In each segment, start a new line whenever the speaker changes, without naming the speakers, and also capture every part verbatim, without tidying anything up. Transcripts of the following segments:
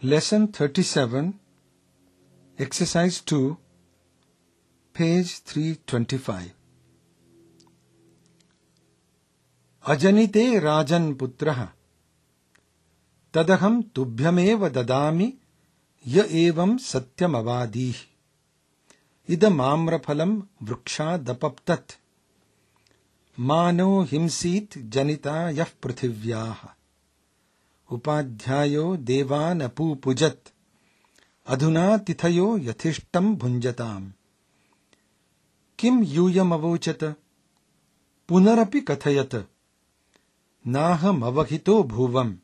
Lesson thirty-seven, Exercise two, page three twenty-five. अजनिते राजन् पुत्रः तदहं तुभ्यमेव ददामि य एवं सत्यमवादीः इदमाम्रफलं वृक्षादपप्तत् मानो हिंसीत् जनिता यः पृथिव्याः उपाध्यायो देवानपूपुजत् अधुना तिथयो यथिष्टं भुञ्जताम् किं यूयमवोचत पुनरपि कथयत नाहमवहितो भुवम्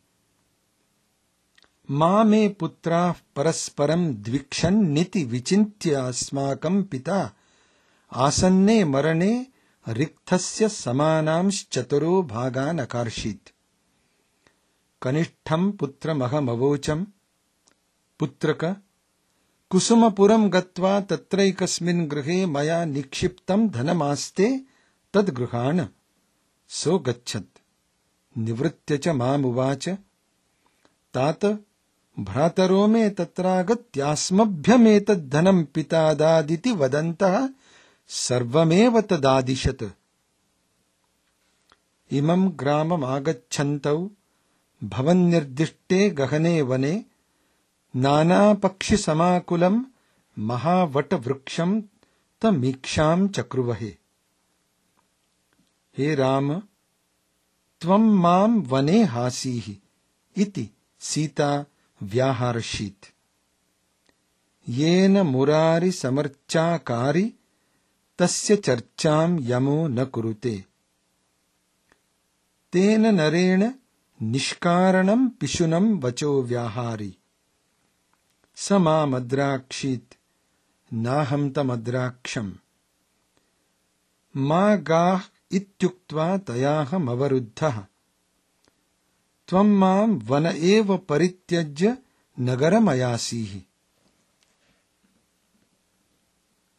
मा मे पुत्राः परस्परं द्विक्षन्निति विचिन्त्य अस्माकं पिता आसन्ने मरणे रिक्थस्य समानांश्चतुरो भागान् अकार्षीत् कनिष्ठं पुत्रमहमवोचम् पुत्रक कुसुमपुरं गत्वा तत्रैकस्मिन् गृहे मया निक्षिप्तं धनमास्ते तद्गृहाण सो गच्छत् निवृत्य च मामुवाच तात भ्रातरो मे तत्रागत्यास्मभ्यमेतद्धनं पिता दादिति वदन्तः सर्वमेव तदादिशत् इमं ग्राममागच्छन्तौ भवन्निर्दिष्टे गहने वने नानापक्षिसमाकुलं महावटवृक्षं तमीक्षां चक्रुवहे हे राम त्वं मां वने हासीः इति सीता व्याहर्षीत् येन मुरारि समर्चाकारि तस्य चर्चां यमो न कुरुते तेन नरेण निष्कारणं पिशुनं वचो व्याहारि स मामद्राक्षीत् नाहं तमद्राक्षम् मा गाः इत्युक्त्वा तयाहमवरुद्धः त्वं मां वन एव परित्यज्य नगरमयासीः